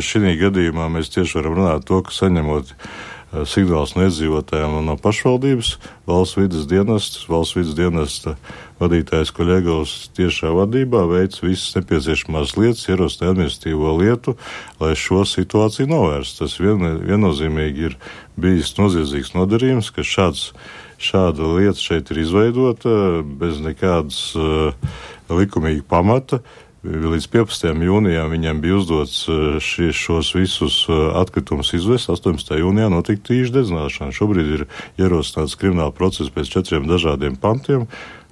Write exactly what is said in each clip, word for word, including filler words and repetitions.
šī gadījumā mēs tieši varam runāt to, ka saņemot signāls no iedzīvotājiem un no pašvaldības, valsts vides dienestas, valsts vides dienesta vadītājs Koļegovs tiešā vadībā veic visas nepieciešamās lietas, ierosina administratīvo lietu, lai šo situāciju novērst. Tas vien, viennozīmīgi ir bijis noziedzīgs nodarījums, ka šāds, šāda lieta šeit ir izveidota bez nekādas uh, likumīga pamata. Līdz piepastajam jūnijam viņam bija uzdots šie, šos visus atkritumus izvest, astoņpadsmitajā jūnijā notika tīša dedzināšana. Šobrīd ir ierosināts krimināla process pēc četriem dažādiem pantiem,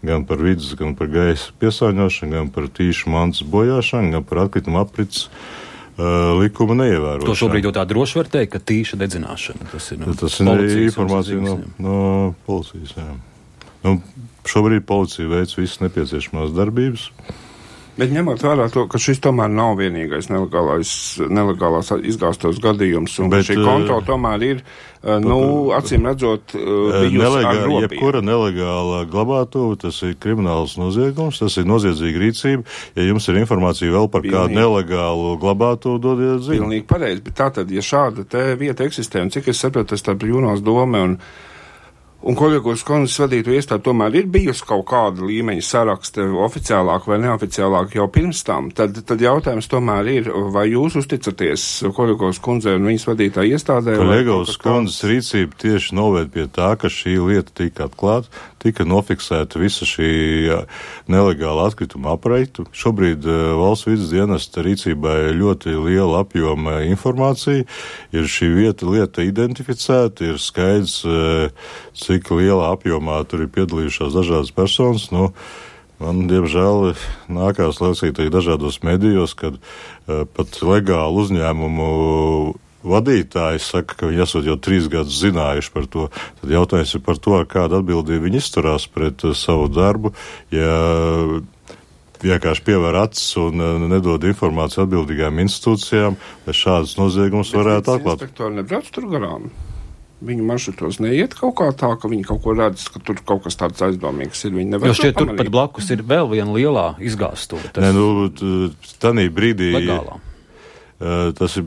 gan par vidas, gan par gaisa piesārņošanu, gan par tīšu mantas bojāšanu, gan par atkritumu aprits uh, likuma neievērošanu. To šobrīd jau tā droši var teikt, ka tīša dedzināšana. Tas ir, no, tas ir informācija no, no policijas. Jā. Nu, šobrīd policija veic visas nepieciešamās darbības. Bet ņemot vērā to, ka šis tomēr nav vienīgais nelegālais, nelegālās izgāstos gadījums, un Bet, šī kontrola tomēr ir, nu, acīm redzot, bijusi nelegā, ar robežu. Jebkura nelegāla glabātuve, tas ir krimināls noziegums, tas ir noziedzīga rīcība. Ja jums ir informācija vēl par Pilnīgi. kādu nelegālu glabātuvi, dodiet ziņu. Pilnīgi pareizi, bet tātad, ja šāda te vieta eksistē, un cik es saprotu, tas starp Jūnos dome un Un Koļegovas kundzes vadīto iestādi tomēr ir bijusi kaut kāda līmeņa saraksta, oficiālāk vai neoficiālāk jau pirms tam, tad, tad jautājums tomēr ir, vai jūs uzticaties Koļegovas kundzei un viņas vadītā iestādē? Koļegovas kundzes rīcība tieši noved pie tā, ka šī lieta tika atklāta, tika nofiksēta visa šī nelegāla atkrituma apreita. Šobrīd uh, valsts vides dienesta rīcībā ir ļoti liela apjoma informācija, ir šī vieta lieta identificēta, ir skaidrs, uh, cik lielā apjomā tur ir piedalījušās dažādas personas. Nu, man, diemžēl, nākās lasīt dažādos medijos, kad uh, pat legālu uzņēmumu vadītājs saka, ka viņi esot jau trīs gadus zinājuši par to. Tad jautājums ir par to, ar kādu atbildību viņi izturās pret uh, savu darbu, ja vienkārši pievēr acis un uh, nedod informāciju atbildīgām institūcijām, lai šādas noziegumus varētu atklāt. Bet inspektori nebrauc tur garām? Viņu maršrutos neiet kaut kā tā, ka viņi kaut ko redz, ka tur kaut kas tāds aizdomīgs ir. Viņi nevar jo šķiet, tur pat blakus ir vēl viena lielā izgāstuve. Nē, nu, tanī brīdī... Legālā. Tas ir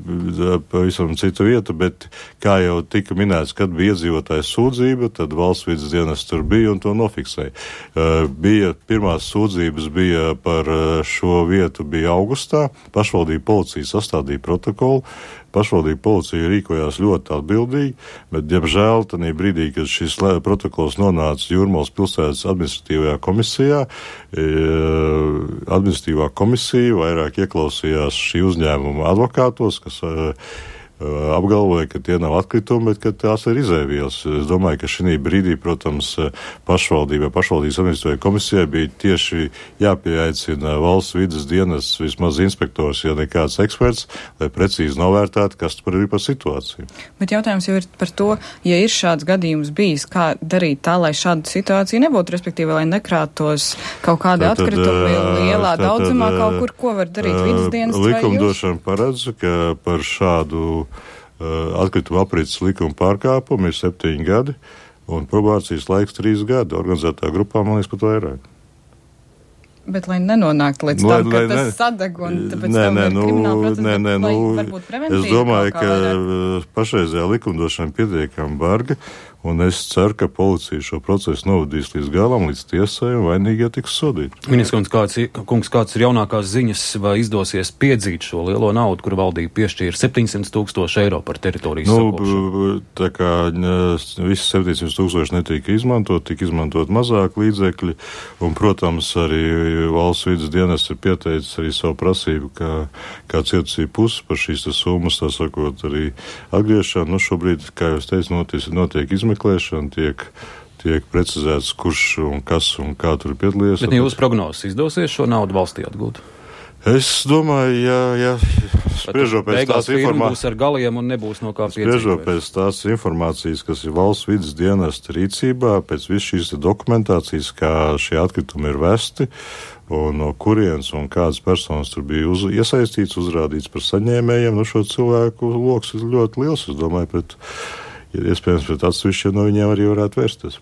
pavisam cita vieta, bet, kā jau tika minēts, kad bija iedzīvotājs sūdzība, tad valsts vides dienas tur bija un to nofiksēja. Bija, pirmās sūdzības bija par šo vietu bija augustā, pašvaldība policija sastādīja protokolu, pašvaldība policija rīkojās ļoti atbildīgi, bet, diemžēl, tanī brīdī, kad šis protokols nonāca Jūrmalas pilsētas administratīvajā komisijā, administratīvā komisija vairāk ieklausījās šī uzņēmuma advokātos, kas apgalvoja, ka tie nav atkritumi, bet ka tās ir izēvielas. Es domāju, ka šī brīdī, protams, pašvaldībai, pašvaldības administratīvajai komisijai bija tieši jāpieaicina valsts vides dienas vismaz inspektors, ja nekāds eksperts, lai precīzi novērtētu, kas tur ir par situāciju. Bet jautājums jau ir par to, ja ir šāds gadījums bijis, kā darīt tā, lai šāda situācija nebūtu, respektīvi, lai nekrātos kaut kādi tad, atkritumi lielā tad, daudzumā tad, kaut kur, ko var darīt vides dienas vai jūs? Likumdošana paredz, ka par šādu atkrituma aprits likuma pārkāpumu ir septiņi gadi, un probācijas laiks trīs gadi. Organizētā grupā, man liekas, pat vairāk. Bet, lai nenonāktu līdz lai, tam, ka lai, tas ne, sadeg un tāpēc nē, tam nē, ir nu, krimināla procesa, nē, nē, lai nu, varbūt preventīvi. Es domāju, ka vairāk. pašreizējā likumdošana pietiekami barga, un es ceru, ka policija šo procesu novadīs līdz galam, līdz tiesai, un vainīgie tiks sodīti. Ministrs kāds, kungs, kāds ir jaunākās ziņas, vai izdosies piedzīt šo lielo naudu, kuru valdība piešķīra septiņsimt tūkstoši eiro par teritorijas nu, sakošanu? Tā kā visi septiņsimt tūkstoši netika izmantot, tika izmantot mazāk līdzekļi, un, protams, arī valsts vides dienas ir pieteicis arī savu prasību, kā, kā cietusīja puses par šīs summas, tā sakot, arī atgriešanu. Nu, šobrīd, kā jūs teicu, notiek, notiek izmeklēšana, tiek, tiek precizēts, kurš un kas un kā tur piedalījies. Bet jūs prognozes izdosies šo naudu valstī atgūt? Es domāju, ja, ja spriežot pēc tās informācijas, būs ar galiem un nebūs no kā piedzīvēt. Spriežot pēc tās informācijas, kas ir valsts vides dienesta rīcībā, pēc visu šīs dokumentācijas, kā šie atkritumi ir vesti, un no kurienes un kādas personas tur bija uz, iesaistīts, uzrādīts par saņēmējiem, nu šo cilvēku loks ir ļoti liels, es domāju, pret, iespējams, pret atsevišķiem no viņiem arī varētu vērsties.